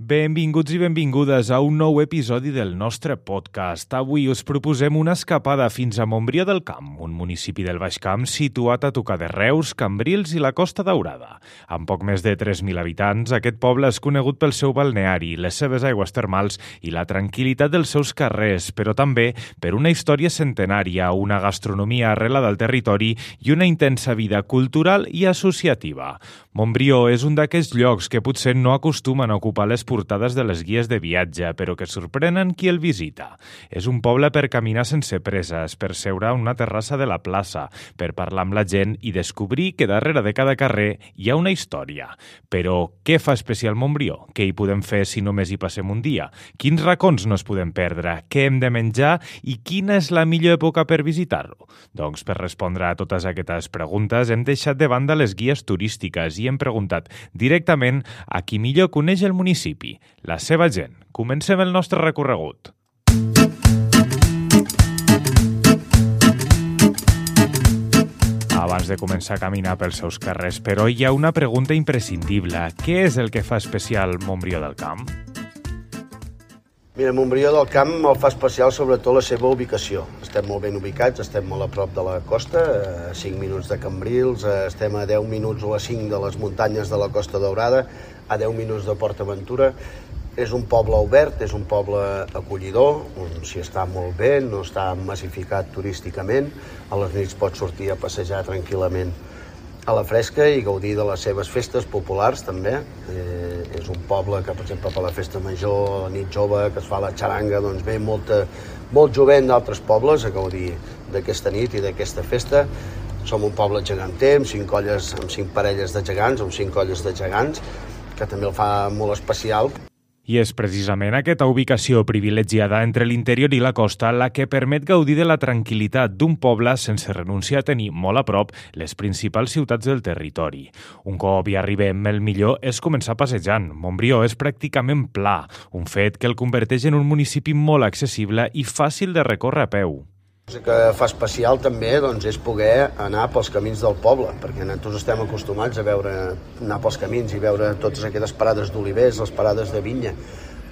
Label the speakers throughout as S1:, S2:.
S1: Benvinguts i benvingudes a un nou episodi del nostre podcast. Avui us proposem una escapada fins a Montbrió del Camp, un municipi del Baix Camp situat a tocar de Reus, Cambrils i la Costa Daurada. Amb poc més de 3.000 habitants, aquest poble és conegut pel seu balneari, les seves aigües termals i la tranquil·litat dels seus carrers, però també per una història centenària, una gastronomia arrelada al territori i una intensa vida cultural i associativa. Montbrió és un d'aquests llocs que potser no acostumen a ocupar les portades de les guies de viatge, però que sorprenen qui el visita. És un poble per caminar sense presses, per seure a una terrassa de la plaça, per parlar amb la gent i descobrir que darrere de cada carrer hi ha una història. Però què fa especial Montbrió? Què hi podem fer si només hi passem un dia? Quins racons no es podem perdre? Què hem de menjar? I quina és la millor època per visitar-lo? Doncs per respondre a totes aquestes preguntes hem deixat de banda les guies turístiques i hem preguntat directament a qui millor coneix el municipi, la seva gent. Comencem el nostre recorregut. Abans de començar a caminar pels seus carrers, però hi ha una pregunta imprescindible. Què és el que fa especial Montbrió del Camp?
S2: Mira, Montbrió del Camp el fa especial sobretot la seva ubicació. Estem molt ben ubicats, estem molt a prop de la costa, a 5 minuts de Cambrils, estem a 10 minuts o a 5 de les muntanyes de la Costa Daurada, a 10 minuts de Port Aventura. És un poble obert, és un poble acollidor, on s'hi està molt bé, no està massificat turísticament, a les nits pots sortir a passejar tranquil·lament a la fresca i gaudir de les seves festes populars també. És un poble que, per exemple, per la festa major, la nit jove, que es fa la xaranga, doncs ve molt jovent d'altres pobles a gaudir d'aquesta nit i d'aquesta festa. Som un poble geganter, amb 5 parelles de gegants, amb 5 colles de gegants, que també el fa molt especial.
S1: I és precisament aquesta ubicació privilegiada entre l'interior i la costa la que permet gaudir de la tranquil·litat d'un poble sense renunciar a tenir molt a prop les principals ciutats del territori. Un cop hi arribem, el millor és començar passejant. Montbrió és pràcticament pla, un fet que el converteix en un municipi molt accessible i fàcil de recórrer a peu.
S2: El que fa especial també és poder anar pels camins del poble, perquè nosaltres estem acostumats a anar pels camins i veure totes aquestes parades d'olivers, les parades de vinya,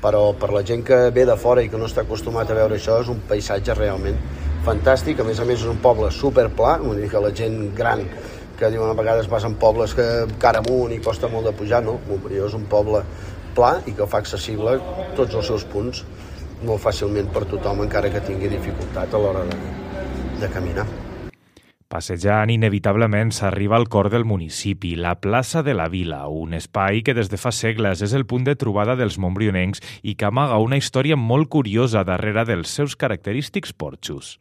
S2: però per la gent que ve de fora i que no està acostumat a veure això és un paisatge realment fantàstic. A més és un poble superpla, vull dir que la gent gran que diuen a vegades vas en pobles que cara amunt i costa molt de pujar, no, Montbrió és un poble pla i que fa accessible tots els seus punts molt fàcilment per tothom, encara que tingui dificultat a l'hora de caminar.
S1: Passejant, inevitablement s'arriba al cor del municipi, la plaça de la Vila, un espai que des de fa segles és el punt de trobada dels montbrionencs i que amaga una història molt curiosa darrere dels seus característics porxos.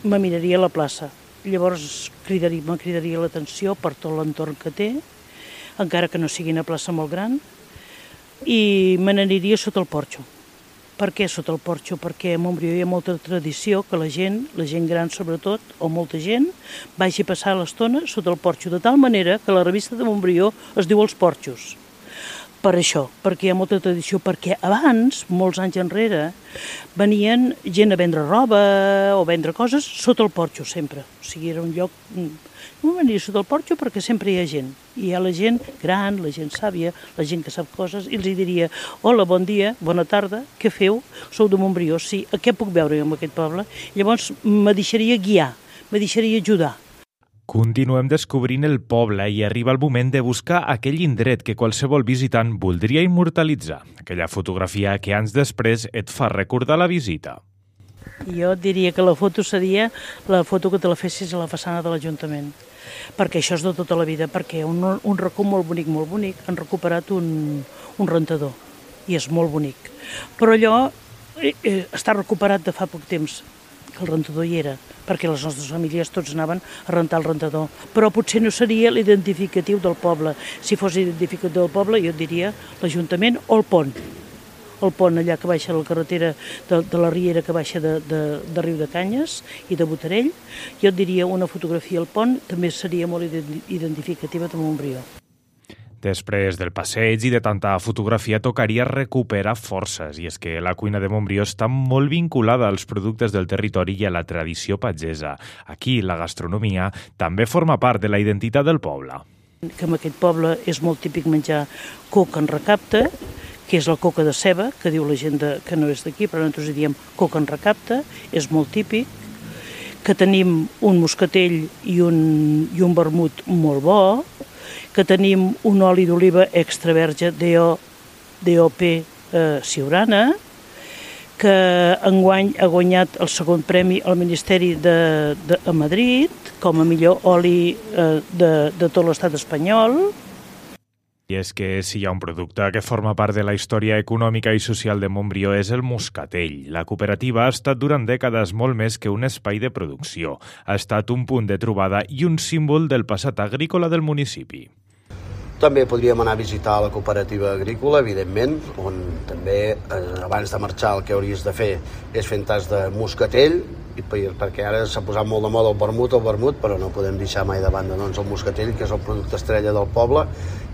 S3: Me miraria a la plaça, llavors me cridaria l'atenció per tot l'entorn que té, encara que no sigui una plaça molt gran, i me n'aniria sota el porxo. Per què sota el porxo? Perquè a Montbrió hi ha molta tradició que la gent gran sobretot, o molta gent, vagi a passar l'estona sota el porxo, de tal manera que la revista de Montbrió es diu Els Porxos. Per això, perquè hi ha molta tradició, perquè abans, molts anys enrere, venien gent a vendre roba o vendre coses sota el porxo sempre. O sigui, era un lloc... No venia sota el porxo perquè sempre hi ha gent. Hi ha la gent gran, la gent sàvia, la gent que sap coses, i els diria: hola, bon dia, bona tarda, què feu? Sou de Montbrió, sí, què puc veure en aquest poble? Llavors me deixaria guiar, me deixaria ajudar.
S1: Continuem descobrint el poble i arriba el moment de buscar aquell indret que qualsevol visitant voldria immortalitzar, aquella fotografia que anys després et fa recordar la visita.
S3: Jo et diria que la foto seria la foto que te la fessis a la façana de l'Ajuntament, perquè això és de tota la vida, perquè un racó molt bonic, han recuperat un rentador, i és molt bonic. Però allò està recuperat de fa poc temps, que el rentador hi era, perquè les nostres famílies tots anaven a rentar el rentador. Però potser no seria l'identificatiu del poble. Si fos identificatiu del poble, jo et diria l'Ajuntament o el pont. El pont allà que baixa la carretera de la Riera que baixa de Riu de Canyes i de Botarell, jo et diria una fotografia al pont també seria molt identificativa de Montbrió.
S1: Després del passeig i de tanta fotografia tocaria recuperar forces, i és que la cuina de Montbrió està molt vinculada als productes del territori i a la tradició pagesa. Aquí la gastronomia també forma part de la identitat del poble.
S3: Que en aquest poble és molt típic menjar coc en recapte, que és la coca de ceba, que diu la gent que no és d'aquí, però nosaltres diem coca en recapte, és molt típic, que tenim un moscatell i un vermut molt bo, que tenim un oli d'oliva extra verge DOP Siurana, que enguany ha guanyat el segon premi al Ministeri a Madrid com a millor oli de tot l'estat espanyol.
S1: I és que si hi ha un producte que forma part de la història econòmica i social de Montbrió és el moscatell. La cooperativa ha estat durant dècades molt més que un espai de producció. Ha estat un punt de trobada i un símbol del passat agrícola del municipi.
S2: També podríem anar a visitar la cooperativa agrícola, evidentment, on també, abans de marxar, el que hauries de fer és fer un tas de moscatell, perquè ara s'ha posat molt de moda el vermut, però no podem deixar mai de banda el moscatell, que és el producte estrella del poble,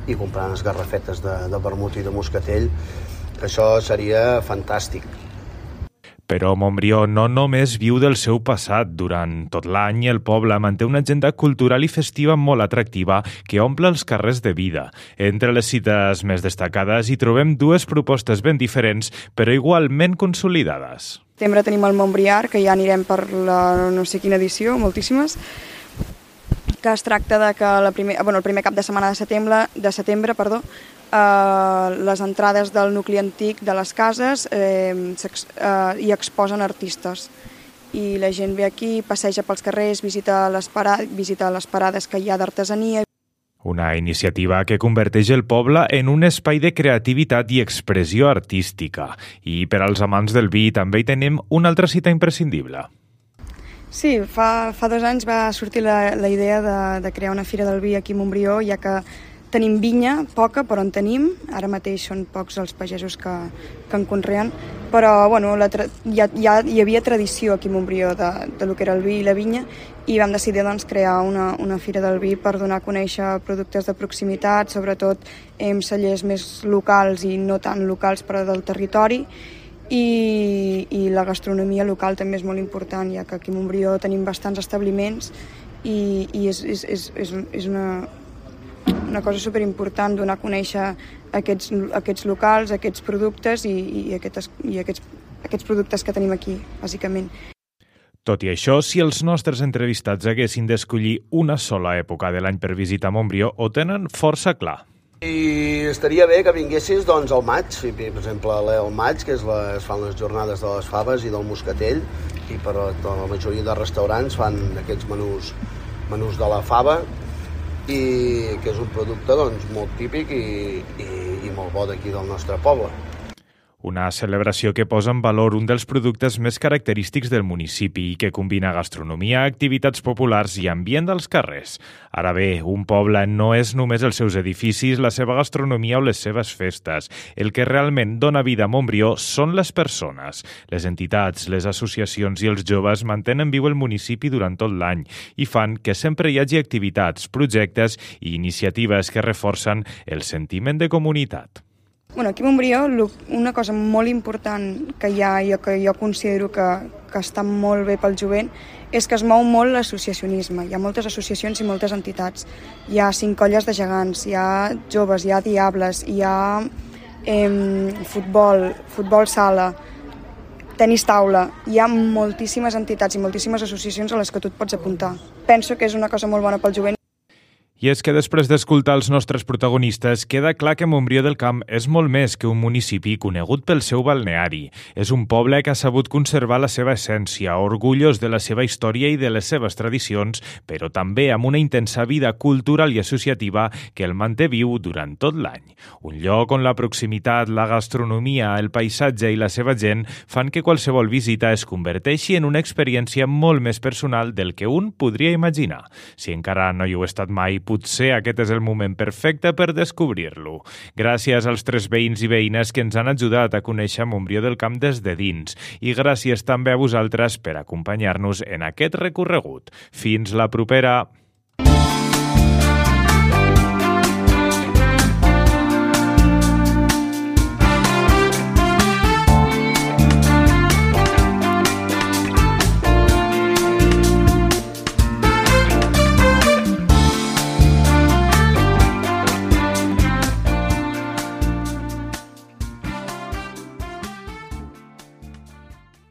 S2: i comprar unes garrafetes de vermut i de moscatell. Això seria fantàstic.
S1: Però Montbrió no només viu del seu passat. Durant tot l'any el poble manté una agenda cultural i festiva molt atractiva que omple els carrers de vida. Entre les cites més destacades hi trobem dues propostes ben diferents però igualment consolidades.
S4: Al setembre tenim el Montbriar, que ja anirem per la no sé quina edició, moltíssimes, que es tracta de que el primer cap de setmana de setembre, les entrades del nucli antic de les cases hi exposen artistes. I la gent ve aquí, passeja pels carrers, visita les parades que hi ha d'artesania.
S1: Una iniciativa que converteix el poble en un espai de creativitat i expressió artística. I per als amants del vi també hi tenim una altra cita imprescindible.
S4: Sí, fa 2 anys va sortir la idea de crear una fira del vi aquí a Montbrió, ja que tenim vinya, poca, però en tenim. Ara mateix són pocs els pagesos que en conreen, però ja hi havia tradició aquí a Montbrió de lo que era el vi i la vinya, i vam decidir crear una fira del vi per donar a conèixer productes de proximitat, sobretot cellers més locals i no tan locals, però del territori. I la gastronomia local també és molt important, ja que aquí a Montbrió tenim bastants establiments i és una cosa superimportant donar a conèixer aquests locals, aquests productes i aquests productes que tenim aquí, bàsicament.
S1: Tot i això, si els nostres entrevistats haguessin d'escollir una sola època de l'any per visitar Montbrió, ho tenen força clar.
S2: I estaria bé que vinguessis al maig, per exemple al maig, que es fan les jornades de les faves i del moscatell, i per la majoria de restaurants fan aquests menús de la fava, i que és un producte molt típic i molt bo d'aquí del nostre poble.
S1: Una celebració que posa en valor un dels productes més característics del municipi i que combina gastronomia, activitats populars i ambient dels carrers. Ara bé, un poble no és només els seus edificis, la seva gastronomia o les seves festes. El que realment dona vida a Montbrió són les persones. Les entitats, les associacions i els joves mantenen viu el municipi durant tot l'any i fan que sempre hi hagi activitats, projectes i iniciatives que reforcen el sentiment de comunitat.
S4: Aquí a Montbrió una cosa molt important que hi ha i que jo considero que està molt bé pel jovent és que es mou molt l'associacionisme. Hi ha moltes associacions i moltes entitats. Hi ha 5 colles de gegants, hi ha joves, hi ha diables, hi ha futbol sala, tenis taula. Hi ha moltíssimes entitats i moltíssimes associacions a les que tu et pots apuntar. Penso que és una cosa molt bona pel jovent.
S1: I és que després d'escoltar els nostres protagonistes, queda clar que Montbrió del Camp és molt més que un municipi conegut pel seu balneari. És un poble que ha sabut conservar la seva essència, orgullós de la seva història i de les seves tradicions, però també amb una intensa vida cultural i associativa que el manté viu durant tot l'any. Un lloc on la proximitat, la gastronomia, el paisatge i la seva gent fan que qualsevol visita es converteixi en una experiència molt més personal del que un podria imaginar. Si encara no hi heu estat mai, potser aquest és el moment perfecte per descobrir-lo. Gràcies als 3 veïns i veïnes que ens han ajudat a conèixer Montbrió del Camp des de dins i gràcies també a vosaltres per acompanyar-nos en aquest recorregut. Fins la propera!